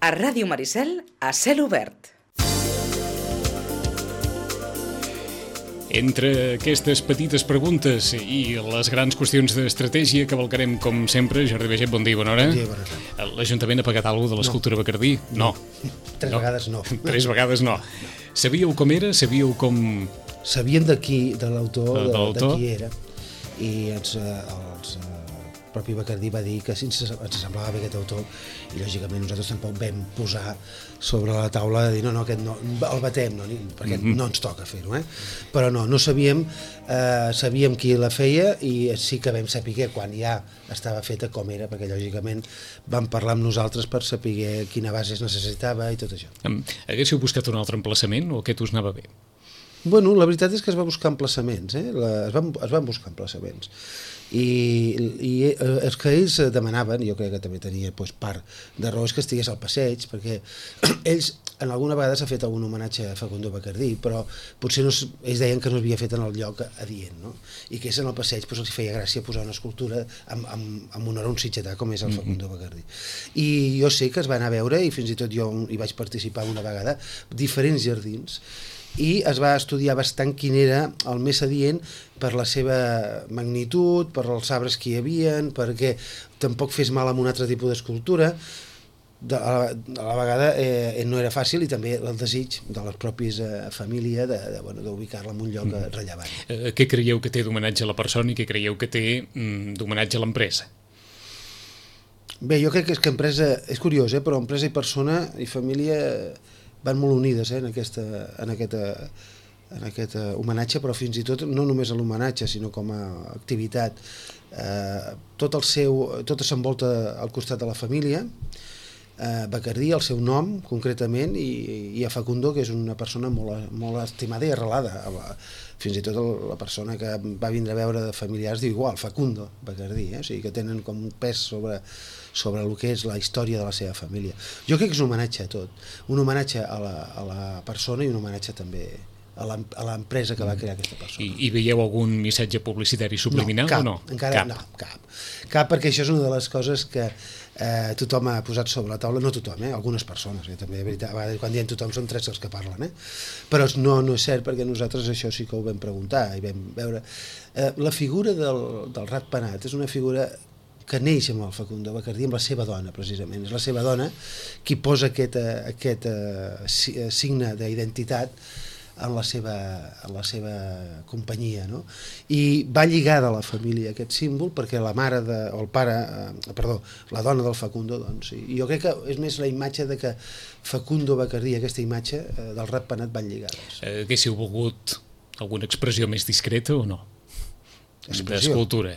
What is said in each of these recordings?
A Ràdio Maricel, a cel obert. Entre aquestes petites preguntes i les grans qüestions d'estratègia que valcarem, com sempre, Jordi Baiget, bon dia i bona hora. Bon dia i bona hora. L'Ajuntament ha pagat alguna cosa de l'escultura Bacardí? No. Tres vegades no. Tres vegades no. Sabíeu com era? Sabíeu com... Sabíem d'aquí, de l'autor, de qui era. I el propi Bacardí va dir que ens semblava bé aquest autor i lògicament nosaltres tampoc vam posar sobre la taula de dir no, aquest no, el batem, no, perquè no ens toca fer-ho, però no sabíem, sabíem qui la feia i sí que vam saber quan ja estava feta com era, perquè lògicament vam parlar amb nosaltres per saber quina base es necessitava i tot això. Haguéssiu buscat un altre emplaçament o aquest us anava bé? Bueno, la veritat és que es va buscar emplaçaments, es van buscar emplaçaments. I els que ells demanaven, jo crec que també tenia part de raó, és que estigués al passeig, perquè ells en alguna vegada s'ha fet algun homenatge a Facundo Bacardí, però potser ells deien que no s'havia fet en el lloc adient, no? I que és en el passeig, els feia gràcia posar una escultura amb honor a un sitgetà com és el Facundo Bacardí. I jo sé que es va anar a veure, i fins i tot jo hi vaig participar una vegada, diferents jardins, i es va estudiar bastant quin era el més adient per la seva magnitud, per els arbres que hi havien, perquè tampoc fes mal amb un altre tipus d'escultura. A la vegada no era fàcil, i també el desig de les pròpies família d'ubicar-la en un lloc rellevant. Què creieu que té d'homenatge a la persona i què creieu que té d'homenatge a l'empresa? Bé, jo crec que empresa, és curiós, però empresa i persona i família van molt unides en aquest homenatge, però fins i tot no només a l'homenatge, sinó com a activitat. Tot s'envolta al costat de la família, Bacardí, el seu nom concretament, i a Facundo, que és una persona molt estimada i arrelada. Fins i tot la persona que va vindre a veure de familiars diu igual, Facundo Bacardí, o sigui que tenen com un pes sobre el que és la història de la seva família. Jo crec que és un homenatge a tot, un homenatge a la persona i un homenatge també a l'empresa que va crear aquesta persona. I veieu algun missatge publicitari subliminal o no? Encara no, cap, perquè això és una de les coses que tothom ha posat sobre la taula, no tothom, algunes persones, també, de veritat, a vegades quan diem tothom són tres els que parlen, però no és cert, perquè nosaltres això sí que ho vam preguntar i vam veure. La figura del ratpenat és una figura que neix amb el Facundo Bacardí, amb la seva dona, precisament. És la seva dona qui posa aquest signe d'identitat en la seva companyia, no? I va lligada a la família aquest símbol perquè la dona del Facundo, doncs, i jo crec que és més la imatge de que Facundo Bacardí, aquesta imatge del ratpenat van lligades. Haguéssiu volgut alguna expressió més discreta o no? D'escultura.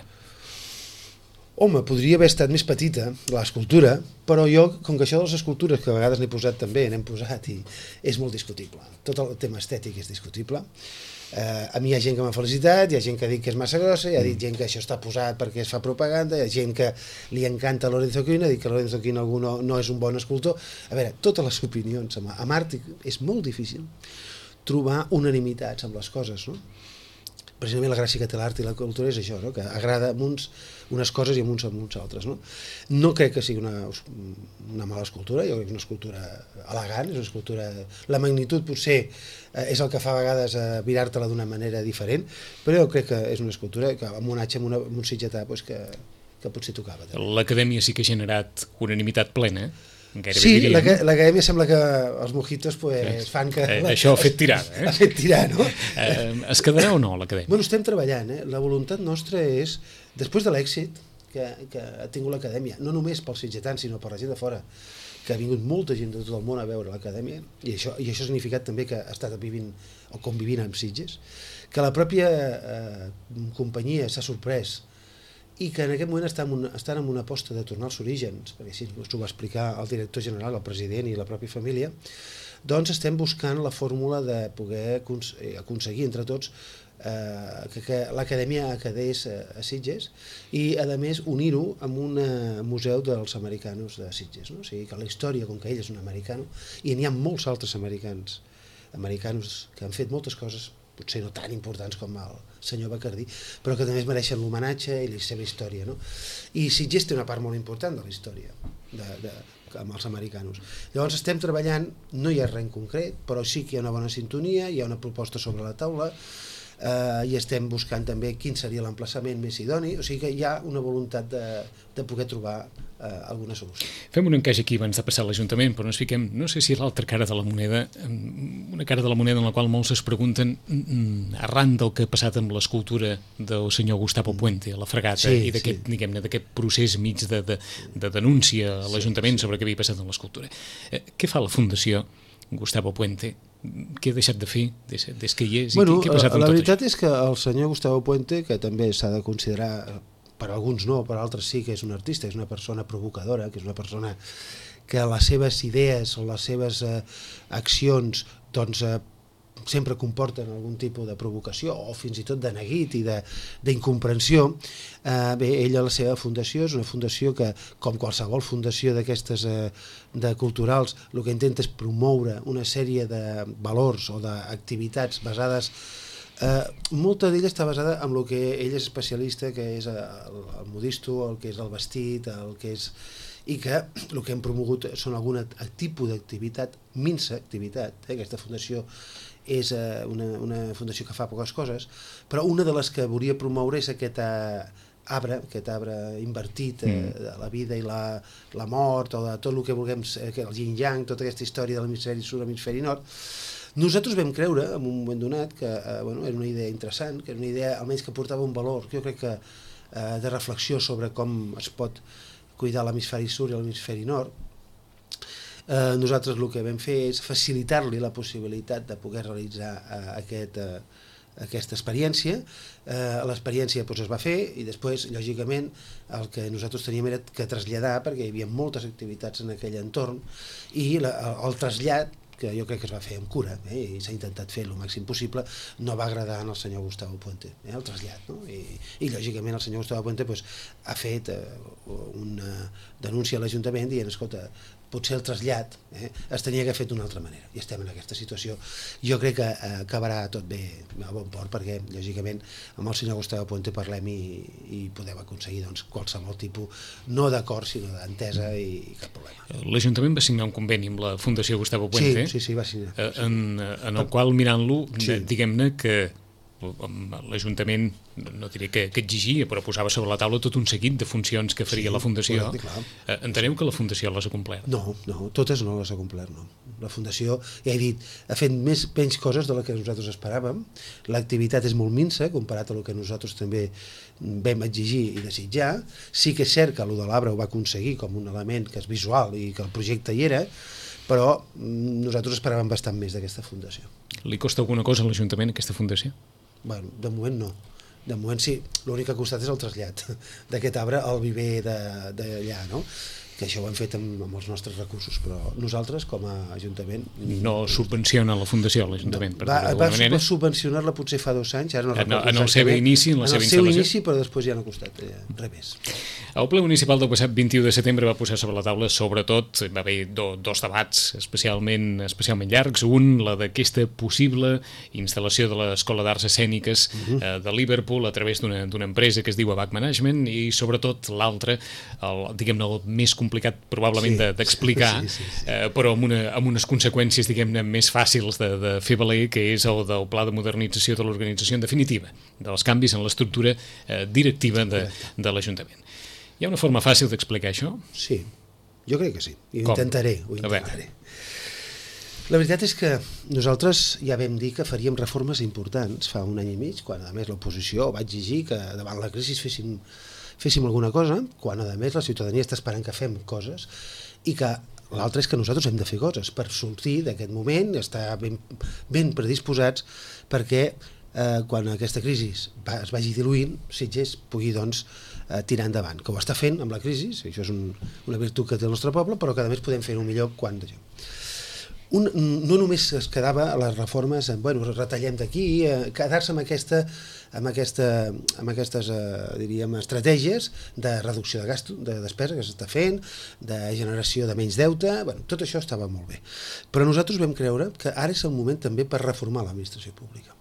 Home, podria haver estat més petita, l'escultura, però jo, com que això de les escultures, que a vegades n'he posat també, n'hem posat, i és molt discutible. Tot el tema estètic és discutible. A mi hi ha gent que m'ha felicitat, hi ha gent que ha dit que és massa grossa, hi ha gent que això està posat perquè es fa propaganda, hi ha gent que li encanta Lorenzo Quina, ha dit que Lorenzo Quina no és un bon escultor. A veure, totes les opinions. Amb art és molt difícil trobar unanimitats amb les coses, no? Precisament la gràcia que té l'art i la cultura és això, no? Que agrada amb unes coses i amb uns altres. No crec que sigui una mala escultura, jo crec que és una escultura elegant, és una escultura... La magnitud potser és el que fa a vegades mirar-te-la d'una manera diferent, però jo crec que és una escultura que amb un atge, amb un sitgetà, que potser tocava. L'Acadèmia sí que ha generat unanimitat plena, Sí, l'acadèmia sembla que els mojitos fan que... Això ha fet tirar, Ha fet tirar, no? Es quedarà o no l'acadèmia? Bueno, estem treballant, La voluntat nostra és, després de l'èxit que ha tingut l'acadèmia, no només pels sitgetans, sinó per la gent de fora, que ha vingut molta gent de tot el món a veure l'acadèmia, i això ha significat també que ha estat vivint o convivint amb Sitges, que la pròpia companyia s'ha sorprès i que en aquest moment estan en una aposta de tornar als orígens, perquè així ho va explicar el director general, el president i la pròpia família, doncs estem buscant la fórmula de poder aconseguir entre tots que l'acadèmia quedés a Sitges i, a més, unir-ho amb un museu dels americanos de Sitges, no? O sigui, que la història, com que ell és un americano, i n'hi ha molts altres americanos que han fet moltes coses potser no tan importants com el senyor Bacardí, però que també es mereixen l'homenatge i la seva història, no? I Sitges té una part molt important de la història, amb els americanos. Llavors estem treballant, no hi ha res en concret, però sí que hi ha una bona sintonia, hi ha una proposta sobre la taula, i estem buscant també quin seria l'emplaçament més idoni, o sigui que hi ha una voluntat de poder trobar alguna solució. Fem un encaix aquí abans de passar a l'Ajuntament, però ens fiquem, no sé si l'altra cara de la moneda, una cara de la moneda en la qual molts es pregunten, arran del que ha passat amb l'escultura del senyor Gustavo Puente a la Fragata i d'aquest, diguem-ne, d'aquest procés mig de denúncia a l'Ajuntament sobre què havia passat amb l'escultura. Què fa la Fundació Gustavo Puente? Què ha deixat de fer des que hi és i què ha passat amb tot això? La veritat és que el senyor Gustavo Puente, que també s'ha de considerar, per alguns no, per altres sí que és un artista, és una persona provocadora, que és una persona que les seves idees o les seves accions doncs sempre comporten algun tipus de provocació o fins i tot de neguit i d'incomprensió. Bé, ella, la seva fundació, és una fundació que, com qualsevol fundació d'aquestes de culturals, el que intenta és promoure una sèrie de valors o d'activitats basades, molta d'ella està basada en el que ell és especialista, que és el modisto, el que és el vestit, el que és... i que el que hem promogut són algun tipus d'activitat, minsa activitat. Aquesta fundació és una fundació que fa poques coses, però una de les que volia promoure és aquest arbre invertit de la vida i la mort, o de tot el que vulguem, el yin-yang, tota aquesta història de l'hemisferi sud, l'hemisferi nord. Nosaltres vam creure, en un moment donat, que era una idea interessant, que era una idea almenys que portava un valor, jo crec que de reflexió sobre com es pot cuidar l'hemisferi sud i l'hemisferi nord. Nosaltres el que vam fer és facilitar-li la possibilitat de poder realitzar aquesta experiència. L'experiència es va fer i després, lògicament, el que nosaltres teníem era que traslladar, perquè hi havia moltes activitats en aquell entorn, i el trasllat, que jo crec que es va fer amb cura, i s'ha intentat fer el màxim possible, no va agradar al senyor Gustavo Puente, el trasllat, no? I lògicament el senyor Gustavo Puente ha fet una denúncia a l'Ajuntament dient, escolta, potser el trasllat es tenia que haver fet d'una altra manera, i estem en aquesta situació. Jo crec que acabarà tot bé a bon port, perquè lògicament amb el senyor Gustavo Puente parlem i podem aconseguir qualsevol tipus, no d'acord, sinó d'entesa, i cap problema. L'Ajuntament va signar un conveni amb la Fundació Gustavo Puente, sí, va signar. En el qual, mirant-lo, diguem-ne que l'Ajuntament, no diré que exigia, però posava sobre la taula tot un seguit de funcions que faria la Fundació. Enteneu que la Fundació les ha complert? No, totes no les ha complert, no. La Fundació, ja he dit, ha fet menys coses de les que nosaltres esperàvem. L'activitat és molt minsa, comparat a el que nosaltres també vam exigir i desitjar. Sí que és cert que allò de l'arbre ho va aconseguir com un element que és visual i que el projecte hi era, però nosaltres esperàvem bastant més d'aquesta Fundació. Li costa alguna cosa a l'Ajuntament aquesta Fundació? Bueno, de moment no. De moment sí, l'únic que ha costat és el trasllat d'aquest arbre al viver d'allà, no? Que això ho hem fet amb els nostres recursos, però nosaltres, com a Ajuntament... No subvenciona la Fundació, l'Ajuntament, per dir-ho d'alguna manera? Va subvencionar-la potser fa 2 anys, ara no recordo en el seu inici, en la seva instal·lació? En el seu inici, però després ja no ha costat res més. El ple municipal del passat 21 de setembre va posar sobre la taula, sobretot, va haver dos debats especialment llargs. Un, la d'aquesta possible instal·lació de l'Escola d'Arts Escèniques de Liverpool a través d'una empresa que es diu ABAC Management, i sobretot l'altre, diguem-ne, el més complicat probablement d'explicar, però amb unes conseqüències, diguem-ne, més fàcils de fer valer, que és el del pla de modernització de l'organització en definitiva, dels canvis en l'estructura directiva de l'Ajuntament. Hi ha una forma fàcil d'explicar això? Sí, jo crec que sí. Ho intentaré. La veritat és que nosaltres ja vam dir que faríem reformes importants fa 1 any i mig, quan a més l'oposició va exigir que davant la crisi féssim alguna cosa, quan a més la ciutadania està esperant que fem coses, i que l'altre és que nosaltres hem de fer coses per sortir d'aquest moment, estar ben predisposats perquè quan aquesta crisi es vagi diluint, Sitges pugui tirar endavant, que ho està fent amb la crisi, això és una virtut que té el nostre poble, però que a més podem fer-ho millor quan no només es quedava a les reformes, retallem d'aquí, quedar-se amb aquestes diríem, estratègies de reducció de gasto, de despesa que s'està fent, de generació de menys deute, tot això estava molt bé. Però nosaltres vam creure que ara és el moment també per reformar l'administració pública.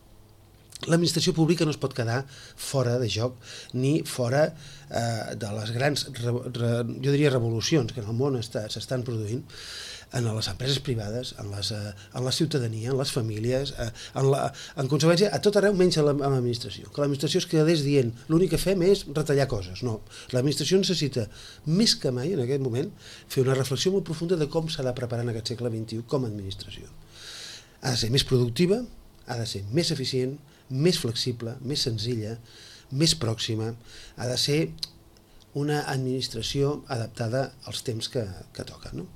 l'administració pública no es pot quedar fora de joc ni fora de les grans, jo diria, revolucions que en el món s'estan produint en les empreses privades, en la ciutadania, en les famílies, en conseqüència, a tot arreu menys a l'administració. Que l'administració es quedés dient l'únic que fem és retallar coses. No, l'administració necessita més que mai en aquest moment fer una reflexió molt profunda de com s'ha de preparar en aquest segle XXI com a administració. Ha de ser més productiva, ha de ser més eficient, més flexible, més senzilla, més pròxima, ha de ser una administració adaptada als temps que toquen, no?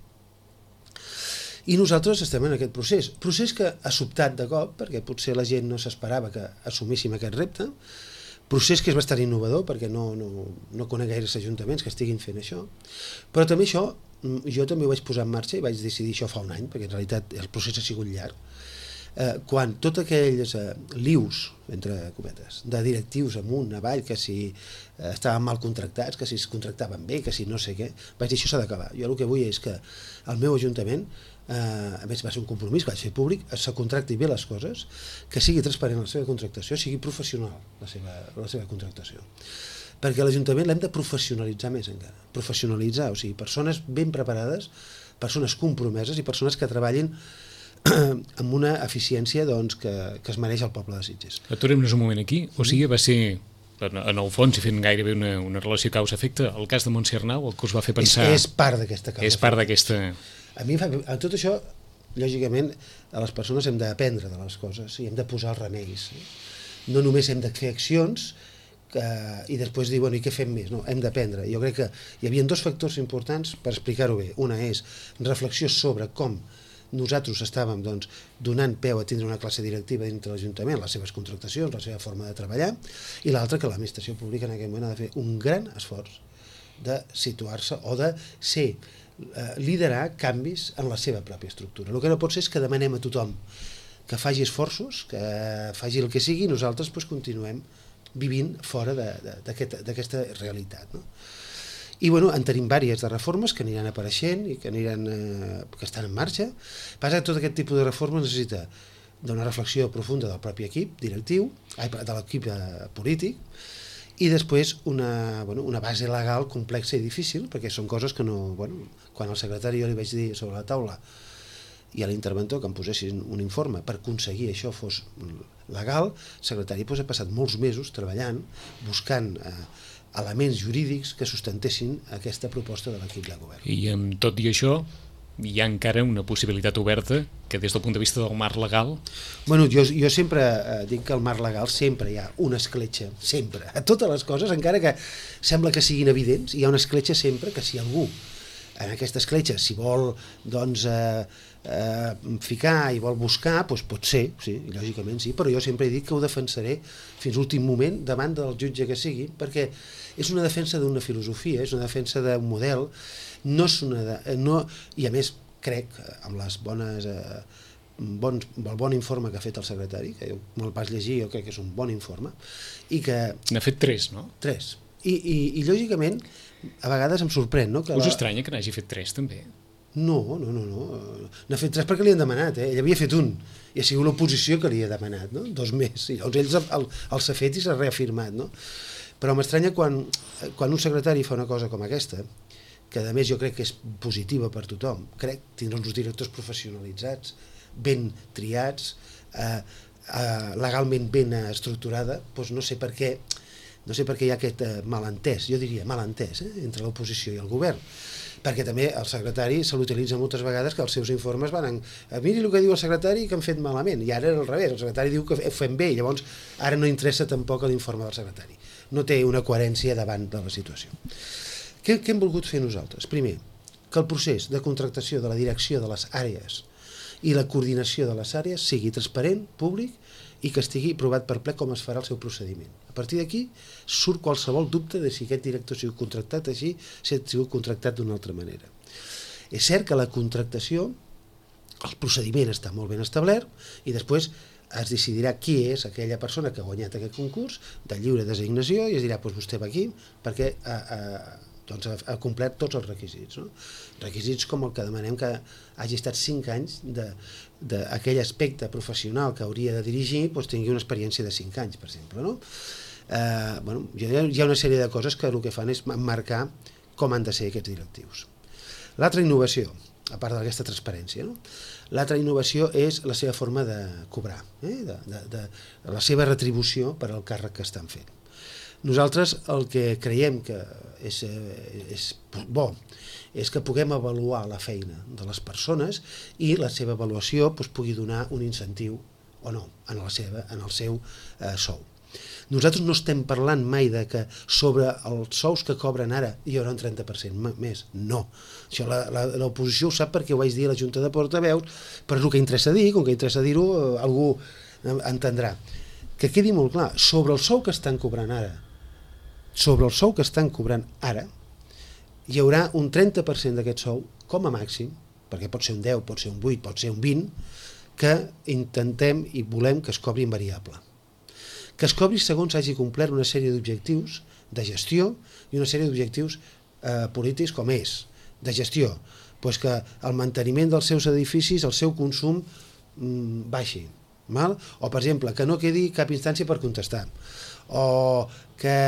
I nosaltres estem en aquest procés que ha sobtat de cop, perquè potser la gent no s'esperava que assumíssim aquest repte, procés que és bastant innovador, perquè no conec gaires ajuntaments que estiguin fent això, però també això, jo també ho vaig posar en marxa i vaig decidir això fa un any, perquè en realitat el procés ha sigut llarg, quan tots aquells lius, entre cometes, de directius amunt, avall, que si estaven mal contractats, que si es contractaven bé, que si no sé què, vaig dir això s'ha d'acabar. Jo el que vull és que el meu ajuntament, a més va ser un compromís que vaig fer públic, se contracti bé les coses, que sigui transparent la seva contractació, sigui professional la seva contractació. Perquè l'Ajuntament l'hem de professionalitzar més encara. Professionalitzar, o sigui, persones ben preparades, persones compromeses i persones que treballin amb una eficiència doncs, que es mereix el poble de Sitges. Aturem-nos un moment aquí. O sigui, va ser, en el fons, i fent gairebé una relació causa-efecte, el cas de Montse Arnau, el que us va fer pensar... És part d'aquesta causa. És part d'aquesta... A tot això, lògicament, a les persones hem d'aprendre de les coses i hem de posar els remeis. No només hem de fer accions i després dir, bueno, i què fem més? No, hem d'aprendre. Jo crec que hi havia dos factors importants per explicar-ho bé. Una és reflexió sobre com nosaltres estàvem donant peu a tindre una classe directiva dintre l'Ajuntament, les seves contractacions, la seva forma de treballar, i l'altra que l'administració pública en aquest moment ha de fer un gran esforç de situar-se o de liderar canvis en la seva pròpia estructura. El que no pot ser és que demanem a tothom que faci esforços, que faci el que sigui, i nosaltres continuem vivint fora d'aquesta realitat, no? I bueno, en tenim diverses de reformes que aniran apareixent i que estan en marxa. Passa que tot aquest tipus de reformes necessita d'una reflexió profunda del propi equip directiu, de l'equip polític, i després una base legal complexa i difícil, perquè són coses que no... Quan al secretari jo li vaig dir sobre la taula i a l'interventor que em posessin un informe per aconseguir això fos legal, el secretari ha passat molts mesos treballant, buscant elements jurídics que sustentessin aquesta proposta de l'equip de govern. I amb tot i això, hi ha encara una possibilitat oberta que des del punt de vista del marc legal... Bueno, jo sempre dic que al marc legal sempre hi ha una escletxa, sempre. A totes les coses, encara que sembla que siguin evidents, hi ha una escletxa sempre que si algú en aquesta escletxa s'hi vol ficar i vol buscar, doncs pot ser, sí, lògicament sí, però jo sempre he dit que ho defensaré fins l'últim moment davant del jutge que sigui, perquè és una defensa d'una filosofia, és una defensa d'un model, i a més crec, amb les el bon informe que ha fet el secretari, que jo me'l vaig llegir, jo crec que és un bon informe, i que... N'ha fet 3, no? 3. I lògicament, a vegades em sorprèn, no? Us estranya que n'hagi fet 3, també? No. N'ha fet 3 perquè li han demanat, Ell havia fet un, i ha sigut l'oposició que li ha demanat, no? 2 més, i llavors ells els ha fet i s'ha reafirmat, no? Però m'estranya quan un secretari fa una cosa com aquesta, que a més jo crec que és positiva per tothom, crec tindre uns directors professionalitzats, ben triats, legalment ben estructurada, doncs no sé per què hi ha aquest malentès, jo diria malentès, entre l'oposició i el govern, perquè també el secretari se l'utilitza moltes vegades que els seus informes van miri el que diu el secretari que han fet malament, i ara era al revés, el secretari diu que ho fem bé, i llavors ara no interessa tampoc l'informe del secretari, no té una coherència davant de la situació. Què hem volgut fer nosaltres? Primer, que el procés de contractació de la direcció de les àrees i la coordinació de les àrees sigui transparent, públic, i que estigui provat per ple com es farà el seu procediment. A partir d'aquí surt qualsevol dubte de si aquest director ha sigut contractat així, si ha sigut contractat d'una altra manera. És cert que la contractació, el procediment està molt ben establert i després es decidirà qui és aquella persona que ha guanyat aquest concurs de lliure designació i es dirà, doncs vostè va aquí perquè doncs ha complert tots els requisits, no? Requisits com el que demanem que hagi estat 5 anys d'aquell aspecte professional que hauria de dirigir, doncs tingui una experiència de 5 anys, per exemple, no? Bueno, hi ha una sèrie de coses que el que fan és marcar com han de ser aquests directius. L'altra innovació, a part d'aquesta transparència, no? L'altra innovació és la seva forma de cobrar, de la seva retribució per al càrrec que estan fent. Nosaltres el que creiem que és bo és que puguem avaluar la feina de les persones i la seva avaluació pugui donar un incentiu o no en el seu sou. Nosaltres no estem parlant mai de que sobre els sous que cobren ara hi haurà un 30% més, no. Això l'oposició ho sap perquè ho vaig dir a la Junta de Portaveus, però és el que interessa dir, com que interessa dir-ho, algú entendrà. Que quedi molt clar, sobre el sou que estan cobrant ara, hi haurà un 30% d'aquest sou, com a màxim, perquè pot ser un 10, pot ser un 8, pot ser un 20, que intentem i volem que es cobri en variable. Que es cobri segons hagi complert una sèrie d'objectius de gestió i una sèrie d'objectius polítics com és de gestió, doncs que el manteniment dels seus edificis, el seu consum baixi, o per exemple que no quedi cap instància per contestar, o que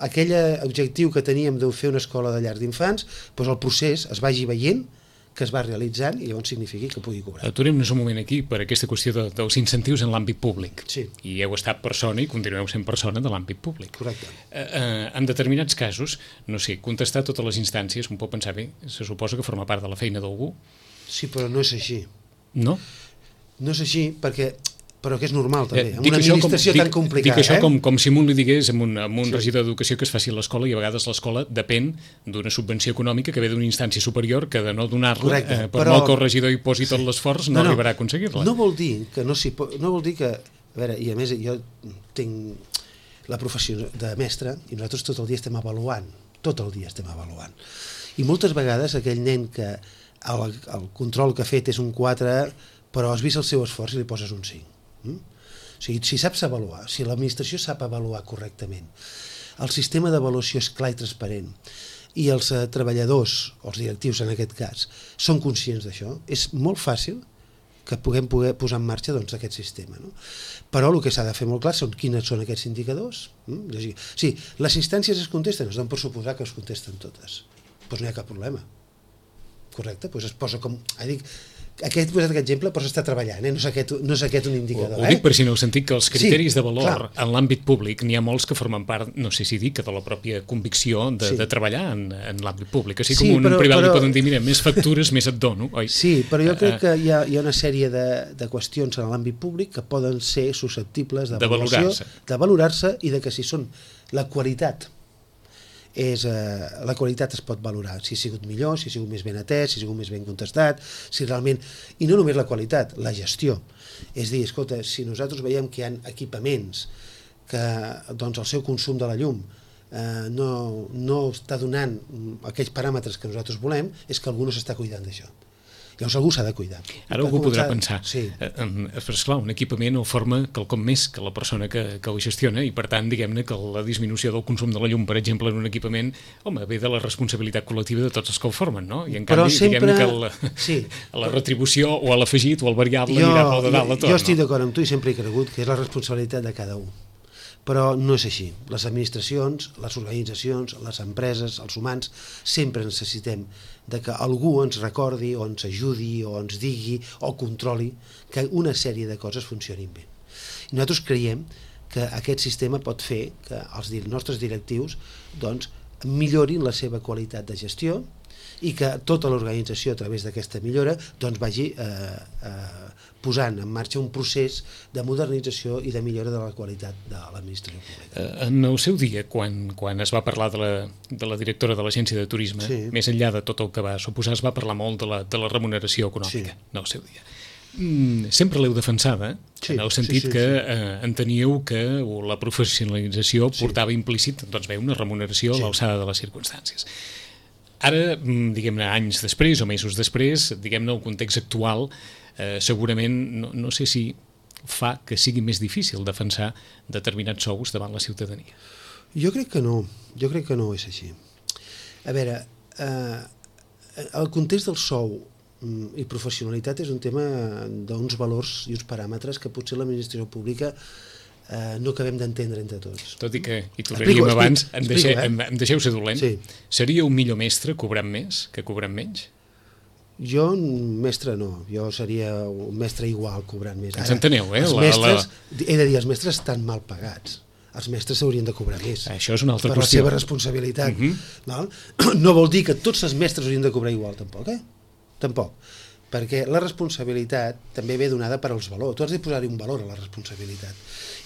aquell objectiu que teníem de fer una escola de llars d'infants, doncs el procés es vagi veient que es va realitzant i llavors signifiqui que pugui cobrar. Aturem-nos un moment aquí per aquesta qüestió dels incentius en l'àmbit públic. Sí. I heu estat persona i continueu sent persona de l'àmbit públic. Correcte. En determinats casos, no sé, contestar totes les instàncies, un pot pensar, bé, se suposa que forma part de la feina d'algú. Sí, però no és així. No? No és així però que és normal també, amb una administració tan complicada. Dic això com si un li digués amb un regidor d'educació que es faci a l'escola i a vegades l'escola depèn d'una subvenció econòmica que ve d'una instància superior que de no donar-la, per molt que el regidor hi posi tot l'esforç, no arribarà a aconseguir-la. No vol dir que no vol dir que... A veure, i a més jo tinc la professió de mestre i nosaltres tot el dia estem avaluant, I moltes vegades aquell nen que el control que ha fet és un 4, però has vist el seu esforç i li poses un 5. O sigui, si saps avaluar, si l'administració sap avaluar correctament, el sistema d'avaluació és clar i transparent i els treballadors, o els directius en aquest cas, són conscients d'això, és molt fàcil que puguem posar en marxa aquest sistema. Però el que s'ha de fer molt clar són quines són aquests indicadors. Sí, les instàncies es contesten, es donen per suposar que es contesten totes, doncs no hi ha cap problema. Correcte? Doncs es posa com... He posat aquest exemple, però s'està treballant, no és aquest un indicador. Ho dic per si no heu sentit que els criteris de valor en l'àmbit públic n'hi ha molts que formen part, no sé si dic, de la pròpia convicció de treballar en l'àmbit públic. Així com un privat li poden dir, mira, més factures, més et dono, oi? Sí, però jo crec que hi ha una sèrie de qüestions en l'àmbit públic que poden ser susceptibles de valorar-se i de que si són la qualitat la qualitat es pot valorar, si ha sigut millor, si ha sigut més ben atès, si ha sigut més ben contestat, si realment, i no només la qualitat, la gestió. És dir, escolta, si nosaltres veiem que hi ha equipaments que el seu consum de la llum no està donant aquells paràmetres que nosaltres volem, és que algú no s'està cuidant d'això. Llavors algú s'ha de cuidar. Ara algú podrà pensar, però esclar, un equipament ho forma quelcom més que la persona que ho gestiona i per tant, diguem-ne que la disminució del consum de la llum, per exemple, en un equipament, home, ve de la responsabilitat col·lectiva de tots els que ho formen, no? I en canvi, diguem-ne que la retribució o l'afegit o el variable anirà pel de dalt a tot. Jo estic d'acord amb tu i sempre he cregut que és la responsabilitat de cada un. Però no és així. Les administracions, les organitzacions, les empreses, els humans, sempre necessitem de que algú ens recordi o ens ajudi o ens digui o controli que una sèrie de coses funcionin bé. I nosaltres creiem que aquest sistema pot fer que els nostres directius millorin la seva qualitat de gestió i que tota l'organització a través d'aquesta millora vagi posant en marxa un procés de modernització i de millora de la qualitat de l'administració pública. En el seu dia, quan es va parlar de la directora de l'Agència de Turisme, més enllà de tot el que va suposar, es va parlar molt de la remuneració econòmica en el seu dia. Sempre l'heu defensada, en el sentit que enteníeu que la professionalització portava implícit una remuneració a l'alçada de les circumstàncies. Ara, diguem-ne, anys després o mesos després, diguem-ne, el context actual segurament, no sé si fa que sigui més difícil defensar determinats sous davant la ciutadania. Jo crec que no és així. A veure, el context del sou i professionalitat és un tema d'uns valors i uns paràmetres que potser l'administració pública no acabem d'entendre entre tots. Tot i que, hi tornaríem abans, em deixeu ser dolent, sí. Seria un millor mestre cobrant més que cobrant menys? Jo, mestre no, jo seria un mestre igual cobrant més. Ens enteneu, els mestres, he de dir, els mestres estan mal pagats. Els mestres s'haurien de cobrar més. Això és una altra qüestió. Per la seva responsabilitat. No vol dir que tots els mestres haurien de cobrar igual, tampoc, Tampoc. Perquè la responsabilitat també ve donada per als valors. Tu has de posar-hi un valor a la responsabilitat.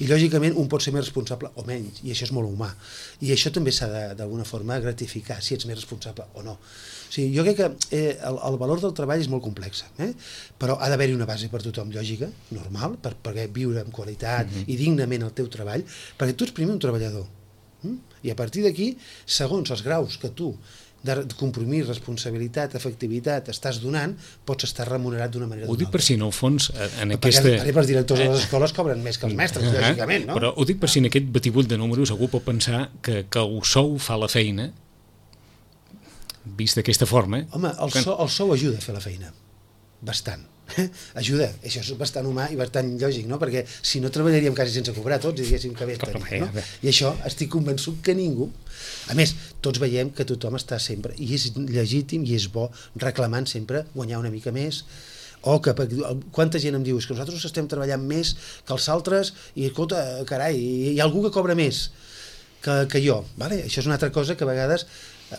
I, lògicament, un pot ser més responsable o menys, i això és molt humà. I això també s'ha d'alguna forma gratificar, si ets més responsable o no. O sigui, jo crec que el valor del treball és molt complex, però ha d'haver-hi una base per tothom lògica, normal, per poder viure amb qualitat i dignament el teu treball, perquè tu ets primer un treballador. I a partir d'aquí, segons els graus que tu de compromís, responsabilitat, efectivitat estàs donant, pots estar remunerat d'una manera o d'una altra. Ho dic per si en el fons en aquesta... Per exemple, els directors de les escoles cobren més que els mestres, lògicament, no? Però ho dic per si en aquest batibull de números algú pot pensar que el sou fa la feina, vist d'aquesta forma... Home, el sou ajuda a fer la feina, bastant. Ajuda, això és bastant humà i bastant lògic, no? Perquè si no treballaríem quasi sense cobrar tots i diguéssim que bé estaria, no? I això estic convençut que ningú, a més, tots veiem que tothom està sempre, i és legítim i és bo, reclamant sempre guanyar una mica més, o que quanta gent em diu que nosaltres estem treballant més que els altres i escolta, carai, hi ha algú que cobra més que jo, vale? Això és una altra cosa que a vegades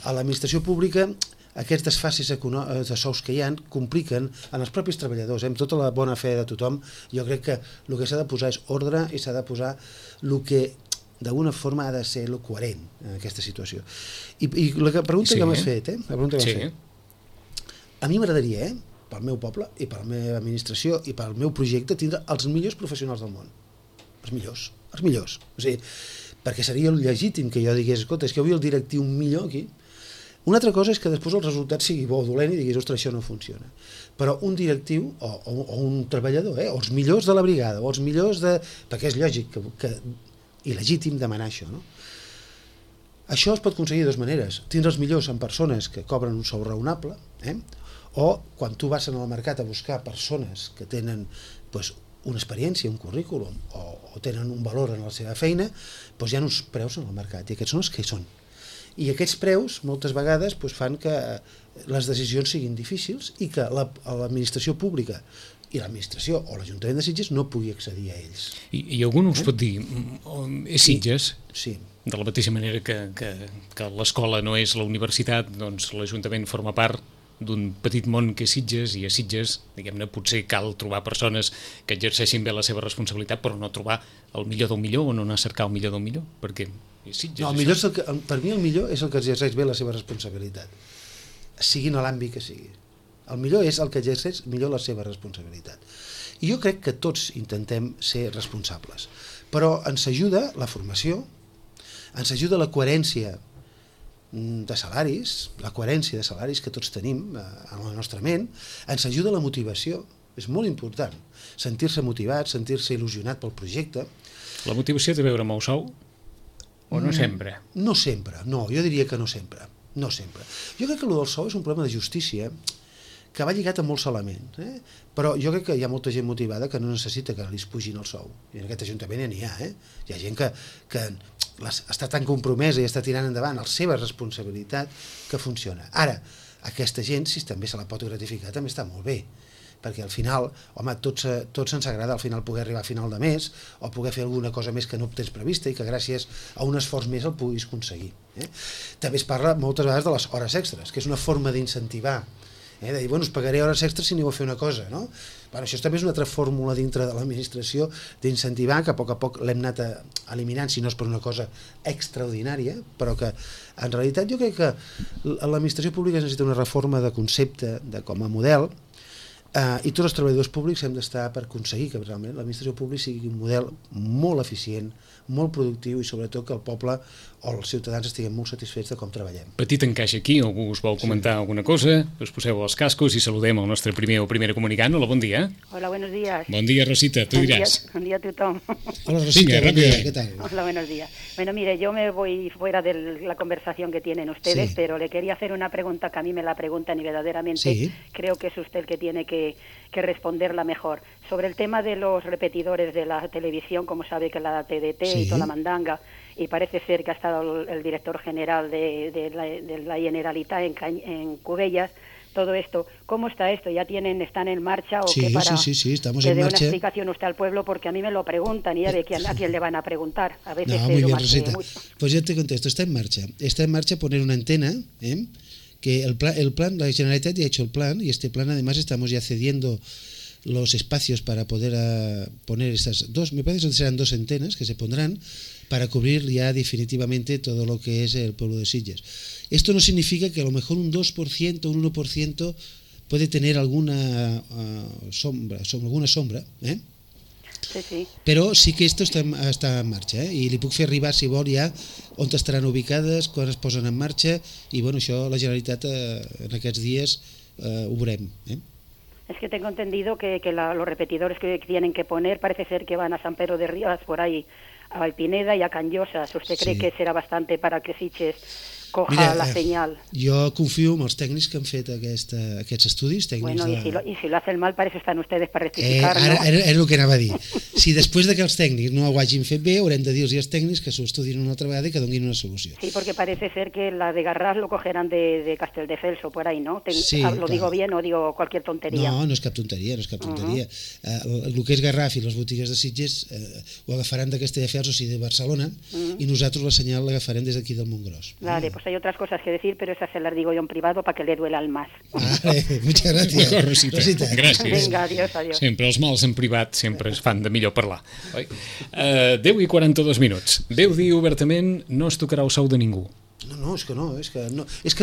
a l'administració pública aquests desfasis de sous que hi ha compliquen en els propis treballadors. Amb tota la bona fe de tothom, jo crec que el que s'ha de posar és ordre i s'ha de posar el que d'alguna forma ha de ser el coherent en aquesta situació. I la pregunta que m'has fet, a mi m'agradaria, pel meu poble i per la meva administració i pel meu projecte, tindre els millors professionals del món. Els millors. O sigui, perquè seria legítim que jo digués, escolta, és que avui el directiu millor aquí. Una altra cosa és que després el resultat sigui bo o dolent i diguis, ostres, això no funciona. Però un directiu o un treballador, o els millors de la brigada, o els millors de... perquè és lògic i legítim demanar això, no? Això es pot aconseguir de dues maneres. Tindre els millors en persones que cobren un sou raonable, o quan tu vas al mercat a buscar persones que tenen una experiència, un currículum, o tenen un valor en la seva feina, hi ha uns preus en el mercat, i aquests són els que hi són. I aquests preus moltes vegades fan que les decisions siguin difícils i que l'administració pública i l'administració o l'Ajuntament de Sitges no pugui accedir a ells. I algú us pot dir, és Sitges? Sí. De la mateixa manera que l'escola no és la universitat, doncs l'Ajuntament forma part d'un petit món que és Sitges, i a Sitges, diguem-ne, potser cal trobar persones que exerceixin bé la seva responsabilitat, però no trobar el millor del millor o no anar a cercar el millor del millor, perquè Sitges... No, el millor per mi el millor és el que exerceix bé la seva responsabilitat, sigui en l'àmbit que sigui. El millor és el que exerceix millor la seva responsabilitat. I jo crec que tots intentem ser responsables, però ens ajuda la formació, ens ajuda la coherència de salaris, que tots tenim en la nostra ment, ens ajuda la motivació, és molt important, sentir-se motivat, sentir-se il·lusionat pel projecte. La motivació té a veure amb el sou? O no sempre? No sempre, no, jo diria que no sempre. Jo crec que el del sou és un problema de justícia que va lligat a molts elements, però jo crec que hi ha molta gent motivada que no necessita que li pugin el sou, i en aquest ajuntament n'hi ha, hi ha gent que està tan compromesa i està tirant endavant la seva responsabilitat que funciona. Ara, aquesta gent, si també se la pot gratificar, també està molt bé, perquè al final, home, tots ens agrada al final poder arribar a final de mes o poder fer alguna cosa més que no tens prevista i que gràcies a un esforç més el puguis aconseguir. També es parla moltes vegades de les hores extres, que és una forma d'incentivar, de dir, bueno, us pagaré hores extres si aneu a fer una cosa, no? Bueno, això també és una altra fórmula dintre de l'administració d'incentivar, que a poc l'hem anat eliminant, si no és per una cosa extraordinària, però que en realitat jo crec que l'administració pública necessita una reforma de concepte, com a model, I tots els treballadors públics hem d'estar per aconseguir que realment l'administració pública sigui un model molt eficient, molt productiu i sobretot que el poble o els ciutadans estiguin molt satisfets de com treballem. Petit encaix aquí, algú us vol comentar alguna cosa, us poseu els cascos i saludem el nostre primer o primera comunicant. Hola, bon dia. Hola, buenos días. Bon dia, Rosita, tu diràs. Buen día a tothom. Hola, Rosita, Venga, buen día, rápido. ¿qué tal? Hola, buenos días. Bueno, mire, yo me voy fuera de la conversación que tienen ustedes, Sí. pero le quería hacer una pregunta que a mí me la preguntan y verdaderamente Sí. creo que es usted el que tiene que responderla mejor. Sobre el tema de los repetidores de la televisión, como sabe que la TDT Sí. y toda la mandanga, y parece ser que ha estado el director general de la Generalitat en Cubellas, todo esto, ¿cómo está esto? ¿Están en marcha o Sí, qué para sí, estamos que en dé marcha. una explicación usted al pueblo? Porque a mí me lo preguntan y a ver a quién le van a preguntar. A veces No, es muy bien, más que Rosita. mucho. Pues yo te contesto, está en marcha. Está en marcha poner una antena, que el plan, la Generalitat ya ha hecho el plan, y este plan además estamos ya cediendo los espacios para poder poner estas dos, me parece que serán 2 antenas que se pondrán para cubrir ya definitivamente todo lo que es el pueblo de Sitges. Esto no significa que a lo mejor un 2%, un 1% puede tener alguna sombra, Sí, sí. però sí que esto està en marxa, i li puc fer arribar, si vol, ja on estaran ubicades, quan es posen en marxa, i bueno, això la Generalitat en aquests dies ho veurem. Es que tengo entendido que los repetidores que tienen que poner parece ser que van a San Pedro de Rivas, por ahí, a Alpineda y a Canyosas. ¿Usted cree Sí. que será bastante para que Sitges coja la señal? Jo confio en els tècnics que han fet aquests estudis, tècnics Bueno, y si lo hacen mal, para eso están ustedes, para rectificar, ¿no? Ara era el que anava a dir. Si després de que els tècnics no ho hagin fet bé, haurem de dir-los als tècnics que s'ho estudin una altra vegada i que donin una solució. Sí, porque parece ser que la de Garraf lo cogerán de Castelldefels o por ahí, ¿no? Sí, ¿Lo clar. digo bien o digo cualquier tontería? No, no és cap tonteria, no és cap tonteria. El que és Garraf i les botigues de Sitges ho agafaran de Castelldefels, o sigui, de Barcelona, i nosaltres la senyal l'agafarem des d'aquí del Montgròs. Vale, pues hay otras cosas que decir, pero esas se las digo yo en privado para que le duela al más. Vale, muchas gracias. D'acord, Rosita. Gràcies. Venga, adiós, adiós. Sempre els mals en privat sempre es fan de millor parlar. 10:42 minuts. Déu dir obertament, no es tocarà el sou de ningú. No, és que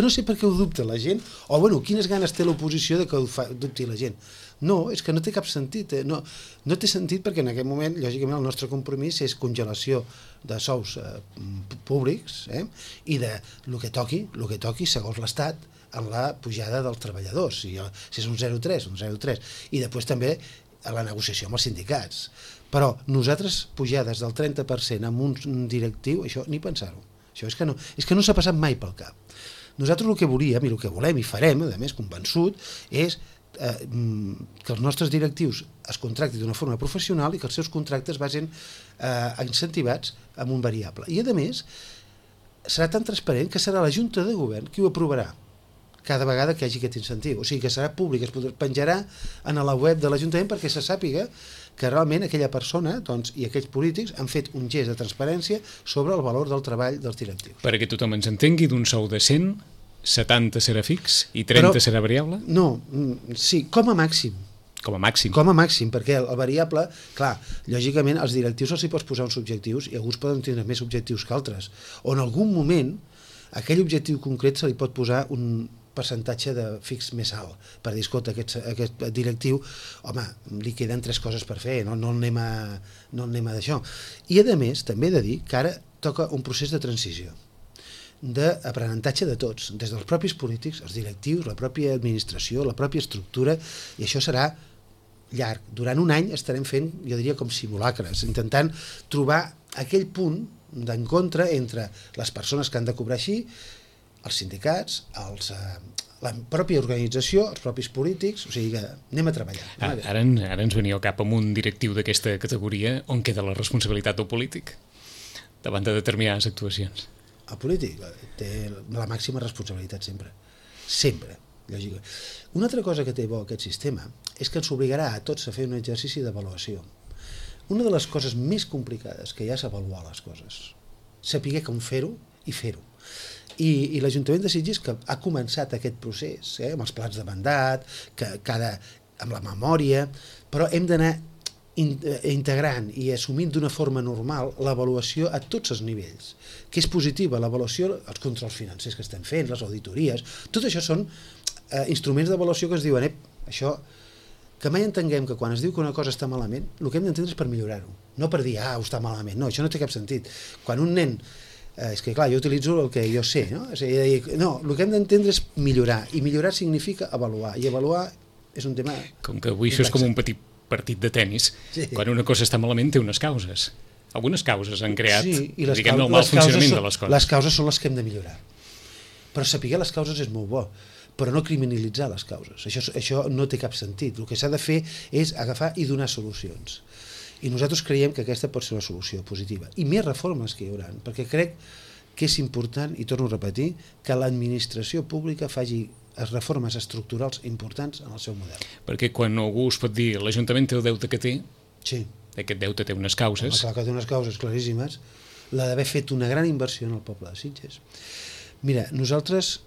no sé per què ho dubta la gent, o bueno, quines ganes té l'oposició de que ho dubti la gent. No, és que no té cap sentit, no té sentit perquè en aquest moment, lògicament, el nostre compromís és congelació de sous públics i de el que toqui segons l'Estat en la pujada dels treballadors, si és un 0,3, un 0,3, i després també a la negociació amb els sindicats. Però nosaltres pujades del 30% amb un directiu, això ni pensar-ho. Això és que no s'ha passat mai pel cap. Nosaltres el que volíem i el que volem i farem, a més convençut, és que els nostres directius es contractin d'una forma professional i que els seus contractes vagin incentivats amb un variable. I a més, serà tan transparent que serà la Junta de Govern qui ho aprovarà cada vegada que hi hagi aquest incentiu. O sigui que serà públic, es penjarà en la web de l'Ajuntament perquè se sàpiga que realment aquella persona i aquells polítics han fet un gest de transparència sobre el valor del treball dels directius. Perquè tothom ens entengui, d'un sou de 100, 70 serà fix i 30 serà variable? No, sí, com a màxim. Com a màxim. Com a màxim, perquè el variable, clar, lògicament als directius els hi pots posar uns objectius i alguns poden tindre més objectius que altres. O en algun moment, aquell objectiu concret se li pot posar un percentatge de fix més alt, per dir, escolta, aquest directiu, home, li queden 3 coses per fer, no anem a d'això. I a més, també he de dir que ara toca un procés de transició, d'aprenentatge de tots, des dels propis polítics, els directius, la pròpia administració, la pròpia estructura, i això serà llarg. Durant un any estarem fent, jo diria, com simulacres, intentant trobar aquell punt d'encontre entre les persones que han de cobrar així, els sindicats, la pròpia organització, els propis polítics, o sigui que anem a treballar. Ara ens venia al cap amb un directiu d'aquesta categoria on queda la responsabilitat del polític davant de determinades actuacions. El polític té la màxima responsabilitat sempre. Sempre, lògicament. Una altra cosa que té bo aquest sistema és que ens obligarà a tots a fer un exercici d'avaluació. Una de les coses més complicades que hi ha és avaluar les coses. Saber com fer-ho i fer-ho. I l'Ajuntament de Sitges, que ha començat aquest procés, amb els plans de mandat, amb la memòria, però hem d'anar integrant i assumint d'una forma normal l'avaluació a tots els nivells, que és positiva l'avaluació, els controls financers que estem fent, les auditories, tot això són instruments d'avaluació que ens diuen això que mai entenguem que quan es diu que una cosa està malament, el que hem d'entendre és per millorar-ho, no per dir, ho està malament, no, això no té cap sentit. Quan un nen, és que clar, jo utilitzo el que jo sé, no? És a dir, no, el que hem d'entendre és millorar, i millorar significa avaluar, i avaluar és un tema... Com que avui això és com un petit partit de tennis, quan una cosa està malament té unes causes. Algunes causes han creat, diguem-ne, el mal funcionament de les coses. Les causes són les que hem de millorar. Però saber les causes és molt bo, però no criminalitzar les causes. Això no té cap sentit. El que s'ha de fer és agafar i donar solucions. I nosaltres creiem que aquesta pot ser la solució positiva. I més reformes que hi haurà, perquè crec que és important, i torno a repetir, que l'administració pública faci reformes estructurals importants en el seu model. Perquè quan algú us pot dir l'Ajuntament té el deute que té, sí. Aquest deute té unes causes. Clar que té unes causes claríssimes, la d'haver fet una gran inversió en el poble de Sitges. Mira, nosaltres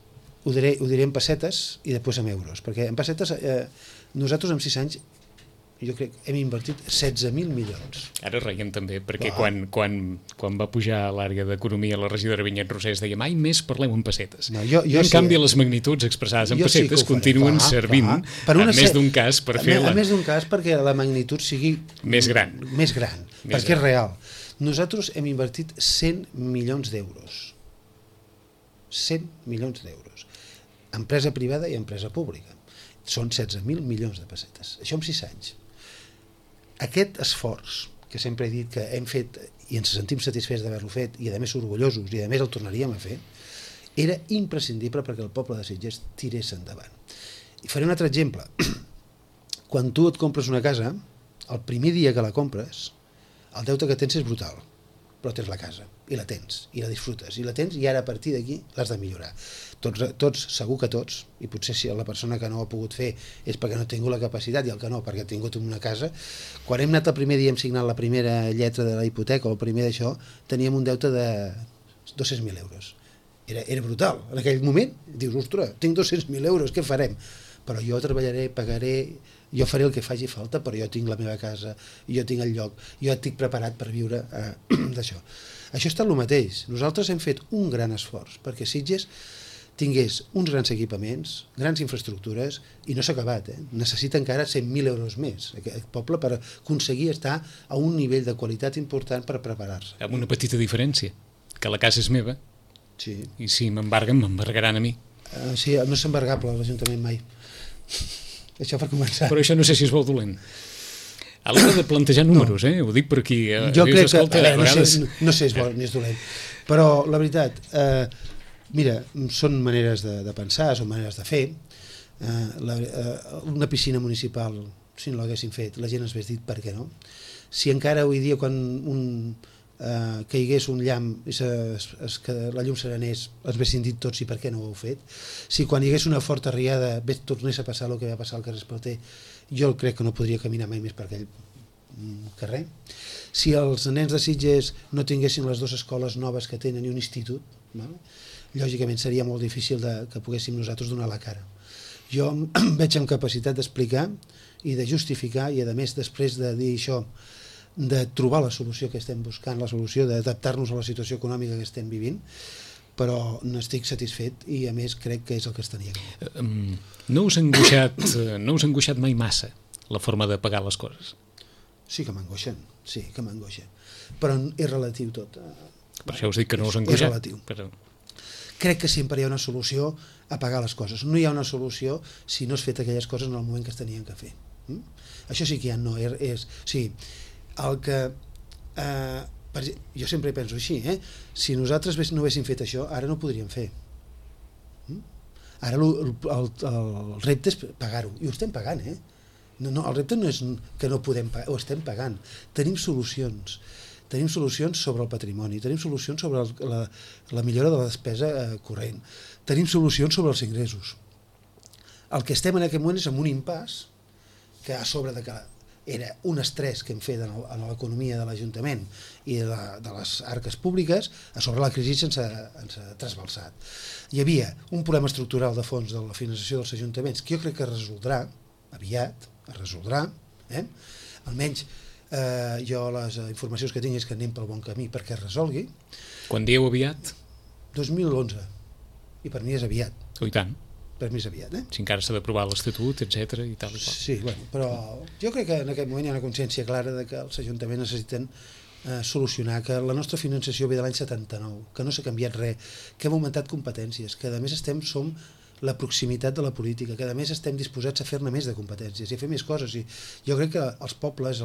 ho diré en pessetes i després en euros, perquè en pessetes nosaltres en 6 anys jo crec que hem invertit 16.000 milions. Ara reiem també, perquè quan va pujar a l'àrea d'economia la regidora Vinyet Rosés deia mai més parleu en pessetes. No, en canvi les magnituds expressades en pessetes continuen servint en més d'un cas per fer a més d'un cas perquè la magnitud sigui més gran, perquè és real. Nosaltres hem invertit 100 milions d'euros. 100 milions d'euros. Empresa privada i empresa pública. Són 16.000 milions de pessetes. Això en 6 anys. Aquest esforç, que sempre he dit que hem fet i ens sentim satisfets d'haver-lo fet i a més orgullosos i a més el tornaríem a fer, era imprescindible perquè el poble de Sitges tirés endavant. I faré un altre exemple. Quan tu et compres una casa, el primer dia que la compres, el deute que tens és brutal, però tens la casa, i la tens, i la disfrutes, i la tens, i ara a partir d'aquí l'has de millorar. Tots, segur que tots, i potser si la persona que no ho ha pogut fer és perquè no ha tingut la capacitat, i el que no, perquè ha tingut una casa, quan hem anat el primer dia, hem signat la primera lletra de la hipoteca, o el primer d'això, teníem un deute de 200.000 euros. Era brutal. En aquell moment dius, ostres, tinc 200.000 euros, què farem? Però jo treballaré, pagaré, jo faré el que faci falta, però jo tinc la meva casa, jo tinc el lloc, jo estic preparat per viure d'això. Això està el mateix. Nosaltres hem fet un gran esforç perquè Sitges tingués uns grans equipaments, grans infraestructures, i no s'ha acabat. Necessita encara 100.000 euros més aquest poble per aconseguir estar a un nivell de qualitat important per preparar-se. Amb una petita diferència, que la casa és meva, sí. I si m'embarguen, m'embargaran a mi. Sí, no és embargable l'Ajuntament mai. Això per començar. Però això no sé si és bo o dolent. A l'hora de plantejar números, ho dic per aquí. Jo crec que, no sé si és bo ni és dolent, però la veritat, mira, són maneres de pensar, són maneres de fer. Una piscina municipal, si no l'haguessin fet, la gent ens hagués dit per què no. Si encara avui dia quan caigués un llamp i que la llum s'arenés, ens haguessin dit tots i per què no ho heu fet. Si quan hi hagués una forta riada tornés a passar el que va passar al carrer Espalter, jo crec que no podria caminar mai més per aquell carrer. Si els nens de Sitges no tinguessin les 2 escoles noves que tenen i un institut, lògicament seria molt difícil que poguéssim nosaltres donar la cara. Jo em veig amb capacitat d'explicar i de justificar, i a més després de dir això, de trobar la solució que estem buscant, la solució d'adaptar-nos a la situació econòmica que estem vivint, però n'estic satisfet i a més crec que és el que es tenia. No us ha angoixat mai massa la forma de pagar les coses? Sí que m'angoixen, però és relatiu tot. Per això us dic que no us ha angoixat. És relatiu. Crec que sempre hi ha una solució a pagar les coses. No hi ha una solució si no has fet aquelles coses en el moment que es tenien que fer. Això sí que ja no és... Sí, el que... jo sempre penso així, si nosaltres no haguéssim fet això, ara no ho podríem fer. Ara el repte és pagar-ho, i ho estem pagant, No, el repte no és que no podem pagar, ho estem pagant. Tenim solucions sobre el patrimoni, tenim solucions sobre la millora de la despesa corrent, tenim solucions sobre els ingressos. El que estem en aquest moment és en un impàs que a sobre de que era un estrès que hem fet en l'economia de l'Ajuntament i de les arques públiques, a sobre la crisi ens ha trasbalsat. Hi havia un problema estructural de fons de la finançació dels ajuntaments que jo crec que es resoldrà aviat, almenys jo les informacions que tinc és que anem pel bon camí perquè es resolgui. Quan dieu aviat? 2011, i per mi és aviat. I tant. més aviat. Si encara s'ha d'aprovar l'Estatut, etc. i tal i qual. Sí, bueno, però jo crec que en aquest moment hi ha una consciència clara de que els ajuntaments necessiten solucionar que la nostra finançació ve de l'any 79, que no s'ha canviat res, que hem augmentat competències, que a més som la proximitat de la política, que a més estem disposats a fer-ne més de competències i a fer més coses. I jo crec que els pobles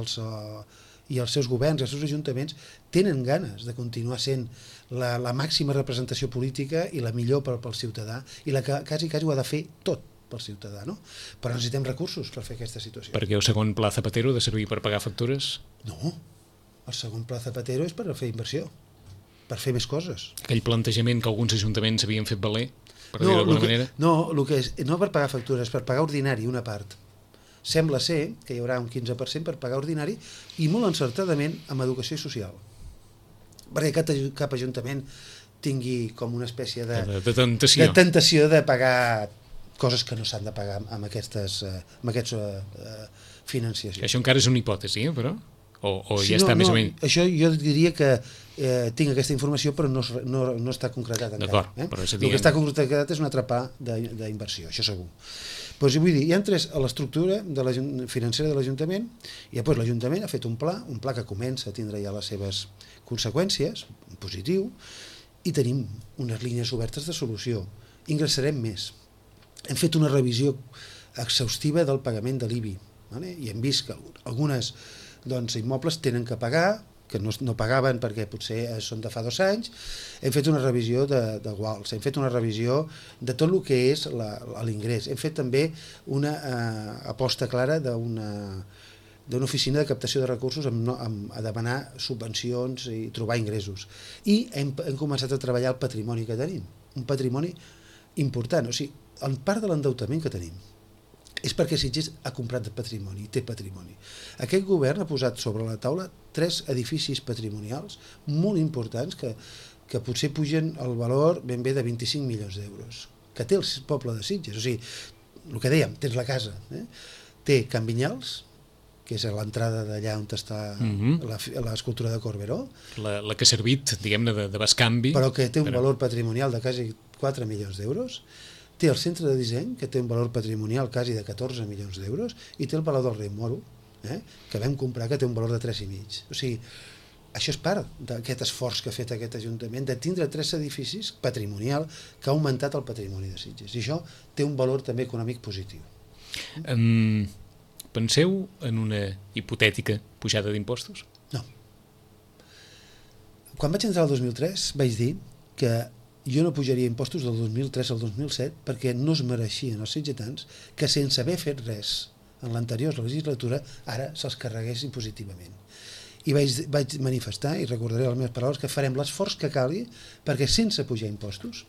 i els seus governs, els seus ajuntaments tenen ganes de continuar sent la màxima representació política i la millor pel ciutadà i la que quasi ho ha de fer tot pel ciutadà, no? Però necessitem recursos per fer aquesta situació. Perquè el segon pla Zapatero ha de servir per pagar factures? No, el segon pla Zapatero és per fer inversió, per fer més coses. Aquell plantejament que alguns ajuntaments havien fet valer, per dir-ho d'alguna manera? No, no per pagar factures, per pagar ordinari una part. Sembla ser que hi haurà un 15% per pagar ordinari i molt encertadament amb educació social. Perquè cap ajuntament tingui com una espècie de tentació de pagar coses que no s'han de pagar amb aquests financiacions. Això encara és una hipòtesi, però? O ja està més o menys? Això jo diria que tinc aquesta informació però no està concretat encara. D'acord, però és a dir... El que està concretat és un atrapar d'inversió, això segur. Doncs vull dir, hi ha tres a l'estructura financera de l'Ajuntament i després l'Ajuntament ha fet un pla que comença a tindre ja les seves conseqüències, positiu, i tenim unes línies obertes de solució. Ingressarem més. Hem fet una revisió exhaustiva del pagament de l'IBI, i hem vist que algunes immobles tenen que pagar, que no pagaven perquè potser són de fa 2 anys. Hem fet una revisió de guals, hem fet una revisió de tot el que és l'ingrés. Hem fet també una aposta clara d'una oficina de captació de recursos a demanar subvencions i trobar ingressos. I hem començat a treballar el patrimoni que tenim, un patrimoni important. O sigui, en part de l'endeutament que tenim és perquè Sitges ha comprat patrimoni, té patrimoni. Aquest govern ha posat sobre la taula 3 edificis patrimonials molt importants que potser pugen el valor ben bé de 25 milions d'euros, que té el poble de Sitges. O sigui, el que dèiem, tens la casa, té Can Vinyals, que és a l'entrada d'allà on està l'escultura de Corberó. La que ha servit, diguem-ne, de bescanvi. Però que té un valor patrimonial de quasi 4 milions d'euros. Té el centre de disseny, que té un valor patrimonial quasi de 14 milions d'euros, i té el Palau del Rei Moro, que vam comprar, que té un valor de 3,5. O sigui, això és part d'aquest esforç que ha fet aquest Ajuntament de tindre 3 edificis patrimonial que ha augmentat el patrimoni de Sitges. I això té un valor també econòmic positiu. Penseu en una hipotètica pujada d'impostos? No. Quan vaig entrar el 2003 vaig dir que jo no pujaria impostos del 2003 al 2007 perquè no es mereixien els sitgetans que sense haver fet res en l'anterior legislatura ara se'ls carregués impositivament. I vaig manifestar, i recordaré les meves paraules, que farem l'esforç que calgui perquè sense pujar impostos,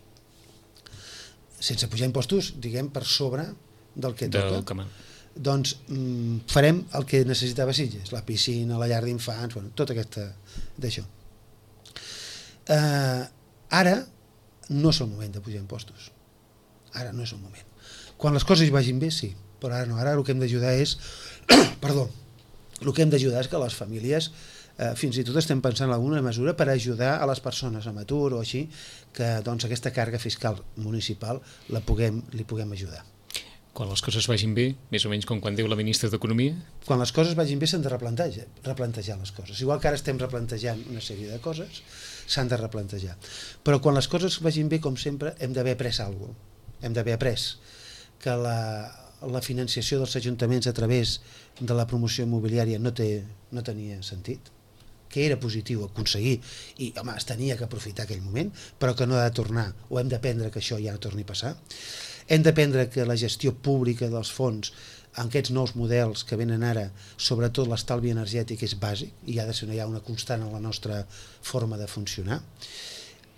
diguem, per sobre del que toca, doncs farem el que necessitava Sitges, la piscina, la llar d'infants, tot d'això. Ara no és el moment de pujar impostos. Ara no és el moment. Quan les coses vagin bé, sí, però ara no. Ara el que hem d'ajudar és que les famílies, fins i tot estem pensant en alguna mesura per ajudar a les persones amb atur o així, que aquesta càrrega fiscal municipal li puguem ajudar. Quan les coses vagin bé, més o menys com quan diu la ministra d'Economia? Quan les coses vagin bé s'han de replantejar les coses. Igual que ara estem replantejant una sèrie de coses, s'han de replantejar. Però quan les coses vagin bé, com sempre, hem d'haver après alguna cosa. Hem d'haver après que la financiació dels ajuntaments a través de la promoció immobiliària no tenia sentit, que era positiu aconseguir, i home, es tenia que aprofitar aquell moment, però que no ha de tornar, o hem d'aprendre que això ja no torni a passar. Hem d'aprendre que la gestió pública dels fons en aquests nous models que venen ara, sobretot l'estalvi energètic, és bàsic i ha de ser una constant en la nostra forma de funcionar.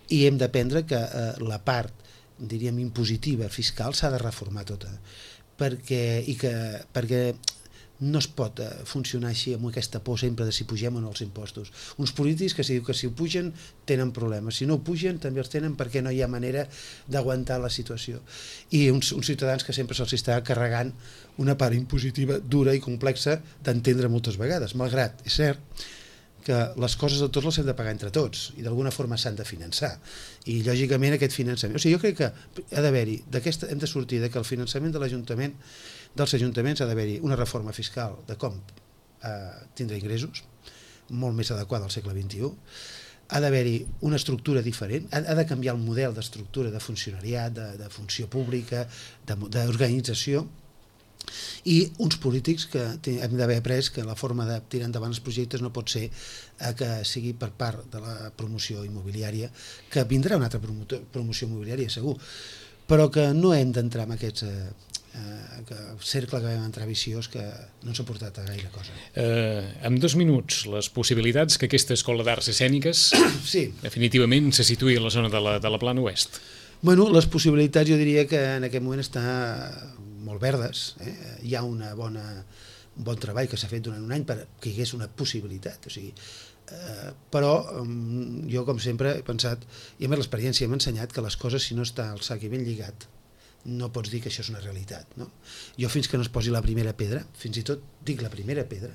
I hem d'aprendre que la part, diríem, impositiva, fiscal, s'ha de reformar tota, perquè no es pot funcionar així amb aquesta por sempre de si pugem o no els impostos. Uns polítics que si ho pugen tenen problemes, si no ho pugen també els tenen perquè no hi ha manera d'aguantar la situació. I uns ciutadans que sempre se'ls està carregant una part impositiva dura i complexa d'entendre moltes vegades, malgrat és cert que les coses de tots les hem de pagar entre tots i d'alguna forma s'han de finançar i lògicament aquest finançament, o sigui, jo crec que ha d'haver-hi, hem de sortir de que el finançament dels ajuntaments ha d'haver-hi una reforma fiscal de com tindre ingressos molt més adequada al segle XXI, ha d'haver-hi una estructura diferent, ha de canviar el model d'estructura de funcionariat, de funció pública, d'organització, i uns polítics que hem d'haver après que la forma de tirar endavant els projectes no pot ser que sigui per part de la promoció immobiliària, que vindrà una altra promoció immobiliària segur, però que no hem d'entrar en aquest cercle que vam entrar viciós que no ens ha portat a gaire cosa. En 2 minuts, les possibilitats que aquesta escola d'arts escèniques sí. definitivament se situï a la zona de la Plana Oest. Bueno, les possibilitats jo diria que en aquest moment està molt verdes, hi ha un bon treball que s'ha fet durant un any perquè hi hagués una possibilitat, o sigui, però jo com sempre he pensat, i a més l'experiència m'ha ensenyat que les coses si no està el sac i ben lligat no pots dir que això és una realitat, no? Jo fins que no es posi la primera pedra, fins i tot dic la primera pedra,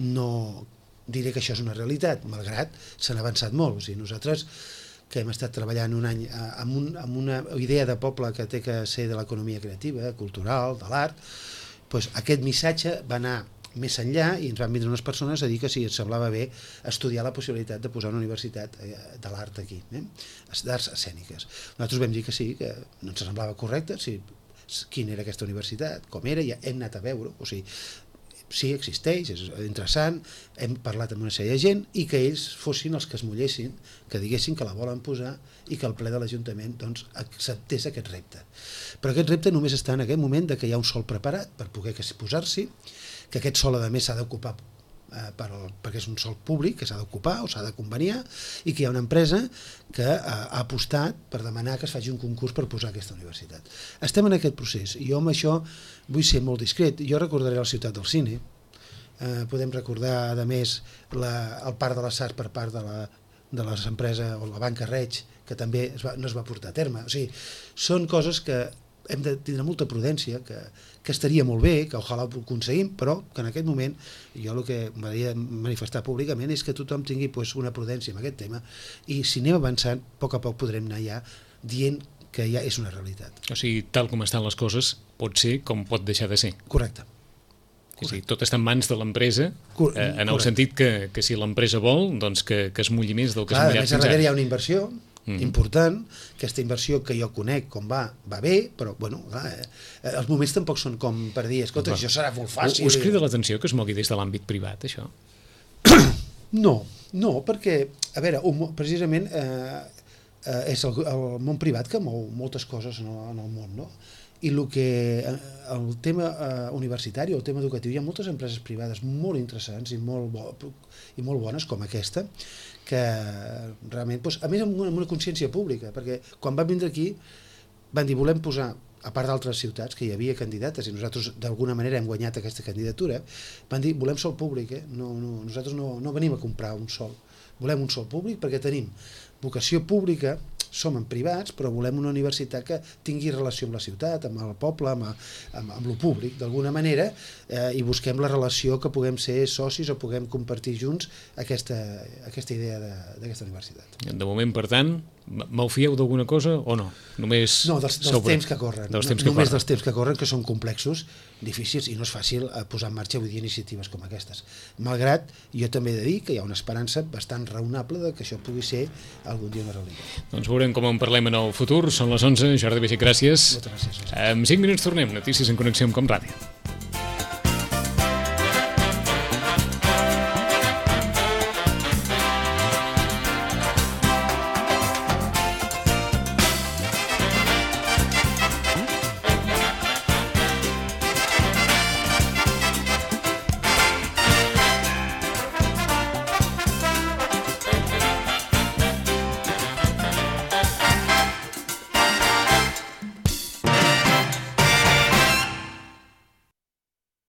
no diré que això és una realitat, malgrat s'han avançat molt, o sigui, nosaltres que hem estat treballant un any amb una idea de poble que té que ser de l'economia creativa, cultural, de l'art, doncs aquest missatge va anar més enllà i ens van vindre unes persones a dir que si ens semblava bé estudiar la possibilitat de posar una universitat de l'art aquí, d'arts escèniques. Nosaltres vam dir que sí, que no ens semblava correcte, quina era aquesta universitat, com era, ja hem anat a veure, o sigui, sí, existeix, és interessant, hem parlat amb una sèrie de gent i que ells fossin els que es mullessin, que diguessin que la volen posar i que el ple de l'Ajuntament doncs, acceptés aquest repte. Però aquest repte només està en aquest moment que hi ha un sòl preparat per poder posar-s'hi, que aquest sòl a més s'ha d'ocupar perquè és un sòl públic que s'ha d'ocupar o s'ha de conveniar i que hi ha una empresa que ha apostat per demanar que es faci un concurs per posar aquesta universitat. Estem en aquest procés i jo amb això vull ser molt discret. Jo recordaré la Ciutat del Cine, podem recordar a més el Parc de les Arts per part de les empreses o la Banca Reig que també no es va portar a terme. O sigui, són coses que hem de tindre molta prudència, que estaria molt bé, que ojalà ho aconseguim, però que en aquest moment jo el que m'agradaria manifestar públicament és que tothom tingui una prudència en aquest tema i si anem avançant, a poc podrem anar ja dient que ja és una realitat. O sigui, tal com estan les coses, pot ser com pot deixar de ser. Correcte. És a dir, tot està en mans de l'empresa, en el sentit que si l'empresa vol, doncs que es mulli més del que s'ha mullat fins ara. A més, darrere hi ha una inversió important, aquesta inversió que jo conec com va bé, però bueno, els moments tampoc són com per dir, escolta, això serà molt fàcil. Us crida l'atenció que es mogui des de l'àmbit privat, això? No, perquè, a veure, precisament és el món privat que mou moltes coses en el món, no? I el tema universitari o el tema educatiu, hi ha moltes empreses privades molt interessants i molt bones com aquesta, que realment, a més amb una consciència pública, perquè quan van vindre aquí van dir volem posar, a part d'altres ciutats que hi havia candidates i nosaltres d'alguna manera hem guanyat aquesta candidatura, van dir volem sòl públic, nosaltres no venim a comprar un sòl, volem un sòl públic perquè tenim vocació pública, som en privats, però volem una universitat que tingui relació amb la ciutat, amb el poble, amb lo públic, d'alguna manera, i busquem la relació que puguem ser socis o puguem compartir junts aquesta idea d'aquesta universitat. De moment, per tant, malfieu d'alguna cosa o no? Només no, dels temps que corren. Només dels temps que corren, que són complexos, difícils, i no és fàcil posar en marxa iniciatives com aquestes. Malgrat, jo també he de dir que hi ha una esperança bastant raonable de que això pugui ser algun dia una realitat. Doncs veurem com en parlem en el futur. Són les 11. Jordi Baiget, gràcies. Moltes gràcies. En 5 minuts tornem. Notícies en connexió amb Com Ràdio.